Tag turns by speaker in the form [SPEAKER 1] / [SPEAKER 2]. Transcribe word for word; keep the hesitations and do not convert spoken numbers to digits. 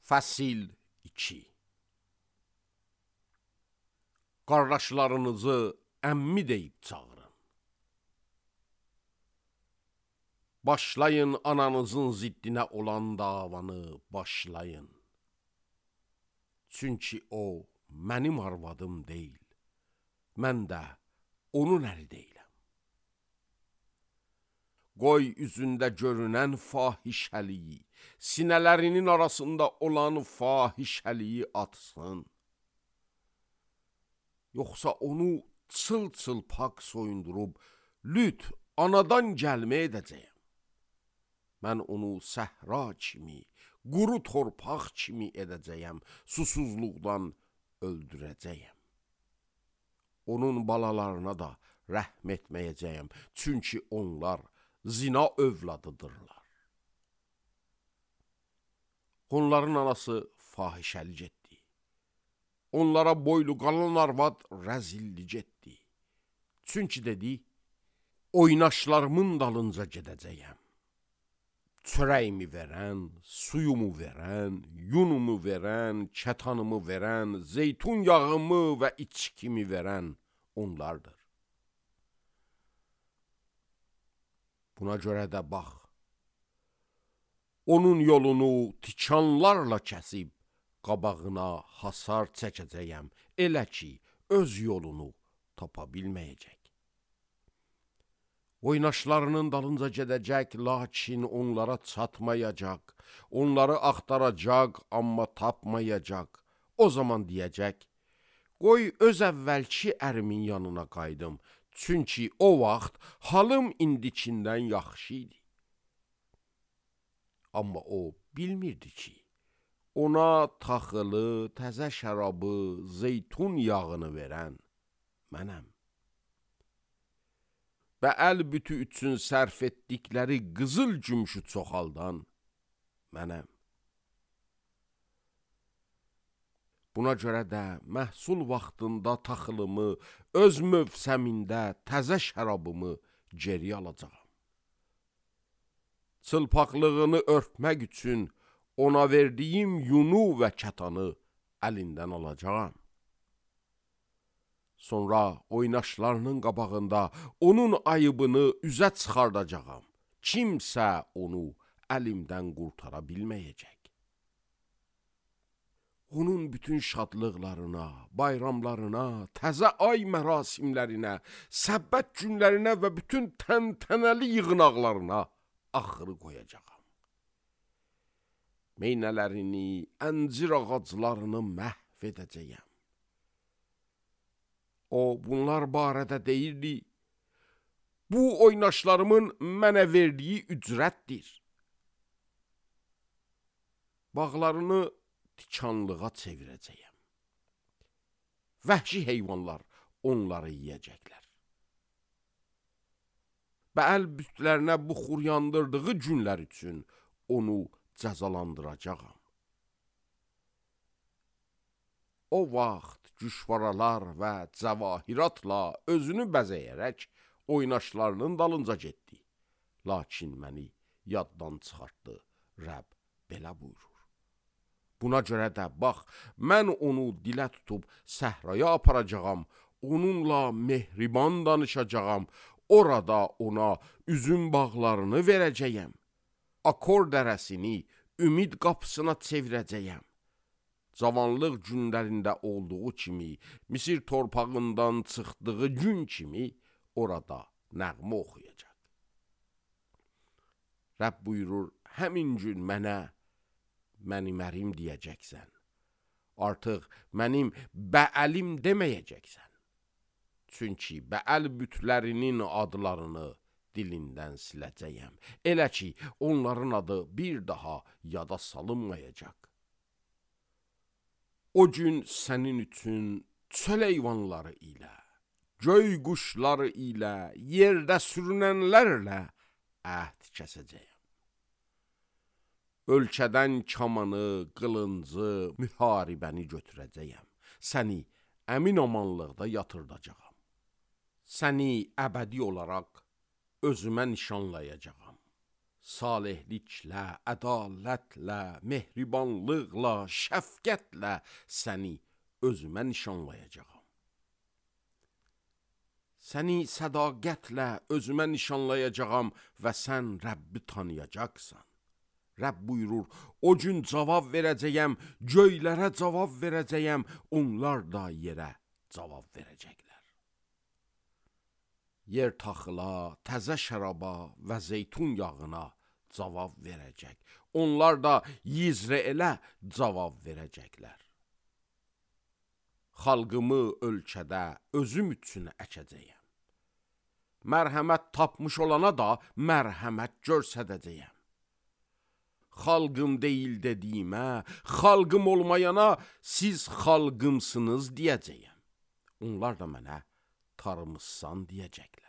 [SPEAKER 1] Fəsil iki. Qardaşlarınızı əmmi deyib çağırın. Başlayın ananızın ziddinə olan davanı başlayın. Çünki o mənim arvadım deyil, mən də onun əri deyiləm. Qoy üzündə görünən fahişəliyi, sinələrinin arasında olan fahişəliyi atsın. Yoxsa onu çıl-çıl pak soyundurub, lüt anadan gəlmə edəcəyəm. Mən onu səhra kimi, quru torpaq kimi edəcəyəm, susuzluqdan öldürəcəyəm. Onun balalarına da rəhm etməyəcəyəm, çünki onlar zina övladıdırlar. Onların anası fahişəlik etdi. Onlara boylu qalan arvad rəzillik etdi. Çünki dedi, oynaşlarımın dalınca gedəcəyəm. Çörəyimi verən, suyumu verən, yunumu verən, kətanımı verən, zeytun yağımı və içkimi verən onlardır. Buna görə də bax, onun yolunu tikanlarla kəsib, qabağına hasar çəkəcəyəm, elə ki, öz yolunu tapa bilməyəcək. Oynaşlarının dalınca gedəcək, lakin onlara çatmayacaq, onları axtaracaq, amma tapmayacaq. O zaman deyəcək, qoy öz əvvəlki ərimin yanına qaydım, çünki o vaxt halım indikindən yaxşı idi. Amma o bilmirdi ki, ona taxılı, təzə şərabı, zeytun yağını verən mənəm. Və əl bütü üçün sərf etdikləri qızıl gümüşü çoxaldan mənəm. Buna görə də məhsul vaxtında taxılımı, öz mövsəmində təzə şərabımı geri alacağam. Çılpaqlığını örtmək üçün ona verdiyim yunu və kətanı əlindən alacağam. Sonra oynaşlarının qabağında onun ayıbını üzə çıxardacağam. Kimsə onu əlimdən qurtara bilməyəcək. Onun bütün şadlıqlarına, bayramlarına, təzə ay mərasimlərinə, səbbət günlərinə və bütün təntənəli yığınaqlarına axırı qoyacağam. Meynələrini, əncir ağaclarını məhv edəcəyəm. O, bunlar barədə deyirdi, bu oynaşlarımın mənə verdiyi ücrətdir. Bağlarını tikanlığa çevirəcəyəm. Vəhşi heyvanlar onları yiyəcəklər. Bəəl bütlərinə buxur yandırdığı günlər üçün onu cəzalandıracağam. O vaxt güşvaralar və cəvahiratla özünü bəzəyərək oynaşlarının dalınca getdi. Lakin məni yaddan çıxartdı, Rəbb belə buyurur. Buna görə də bax, mən onu dilə tutub səhraya aparacağam, onunla mehriban danışacağam, orada ona üzüm bağlarını verəcəyəm. Akor dərəsini ümid qapısına çevirəcəyəm. Cavanlıq günlərində olduğu kimi, Misir torpağından çıxdığı gün kimi orada nəğmə oxuyacaq. Rəbb buyurur, həmin gün mənə, mənim ərim deyəcəksən. Artıq mənim bəəlim deməyəcəksən. Çünki bəəl bütlərinin adlarını dilindən siləcəyəm. Elə ki, onların adı bir daha yada salınmayacaq. O gün sənin üçün çöl heyvanları ilə, göy quşları ilə, yerdə sürünənlərlə əhd kəsəcəyəm. Ölkədən kamanı, qılıncı, müharibəni götürəcəyəm. Səni əmin amanlıqda yatırdacağam. Səni əbədi olaraq özümə nişanlayacağam. salihliklə, ədalətlə, mehribanlıqla, şəfqətlə səni özümə nişanlayacağam. Səni sədaqətlə özümə nişanlayacağam və sən Rəbbi tanıyacaqsan. Rəbb buyurur, o gün cavab verəcəyəm, göylərə cavab verəcəyəm, onlar da yerə cavab verəcəklər. Yer taxıla, təzə şəraba və zeytun yağına cavab verəcək. Onlar da Yizreelə cavab verəcəklər. Xalqımı ölkədə özüm üçün əkəcəyəm. Mərhəmət tapmış olana da mərhəmət göstərəcəyəm. Xalqım deyil dediyimə, xalqım olmayana siz xalqımsınız deyəcəyəm. Onlar da mənə tarımızsan deyəcəklər.